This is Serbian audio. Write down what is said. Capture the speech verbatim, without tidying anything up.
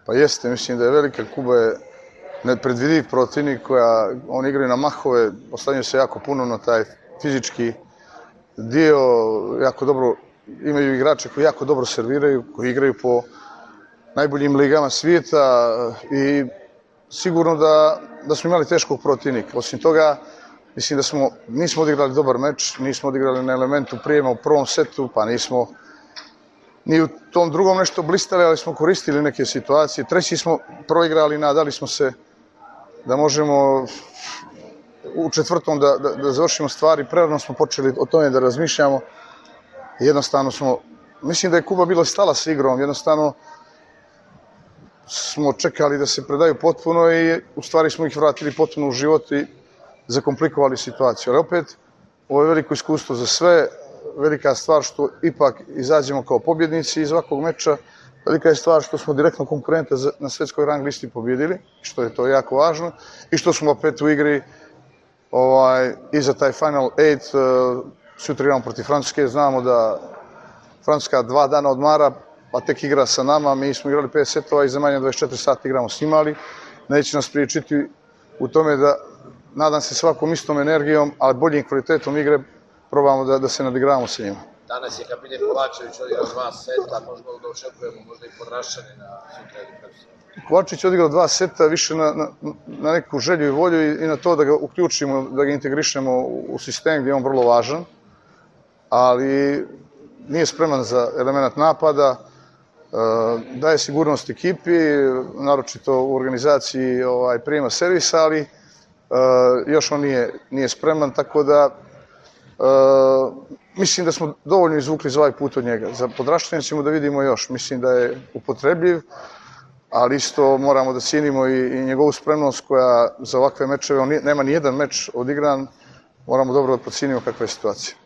Pa jeste, mislim da je velika. Kuba je nepredvidiv protivnik, koja oni igraju na mahove, oslanjaju se jako puno na taj fizički dio, jako dobro, imaju igrače koji jako dobro serviraju, koji igraju po najboljim ligama svijeta i sigurno da, da smo imali teškog protivnika. Osim toga, mislim da smo, nismo odigrali dobar meč, nismo odigrali na elementu prijema u prvom setu, pa nismo ni u tom drugom nešto blistali, ali smo koristili neke situacije. Treći smo proigrali, nadali smo se da možemo u četvrtom da, da, da završimo stvari. Prerano smo počeli o tome da razmišljamo. Jednostavno smo, mislim da je Kuba bila stala s igrom, jednostavno smo čekali da se predaju potpuno i u stvari smo ih vratili potpuno u život i zakomplikovali situaciju. Ali opet, ovo je veliko iskustvo za sve, velika stvar što ipak izađemo kao pobjednici iz ovakvog meča, velika je stvar što smo direktno konkurente na svetskoj rang listi pobjedili, što je to jako važno, i što smo opet u igri ovaj, i za taj Final Eight. Sutra igramo protiv Francuske, znamo da Francuska dva dana odmara, pa tek igra sa nama. Mi smo igrali pet setova i za manje dvadeset četiri sata igramo s njima, ali neće nas priječiti u tome da, nadam se, svakom istom energijom, ali boljim kvalitetom igre probamo da, da se nadigravamo sa njima. Danas je kapiten Kovačević odigrao dva seta, možemo da očekujemo možda i podrašćane na sutra ili prekosutra. Kovačević je odigrao dva seta više na, na, na neku želju i volju i, i na to da ga uključimo, da ga integrišemo u sistem gdje je on vrlo važan, ali nije spreman za element napada, daje sigurnost ekipi, naročito u organizaciji ovaj, prijema servisa, ali još on nije, nije spreman, tako da mislim da smo dovoljno izvukli za ovaj put od njega. Za podraštanje ćemo da vidimo još, mislim da je upotrebljiv, ali isto moramo da cijenimo i, i njegovu spremnost koja za ovakve mečeve, on nema ni jedan meč odigran, moramo dobro da procijenimo kakva je situacija.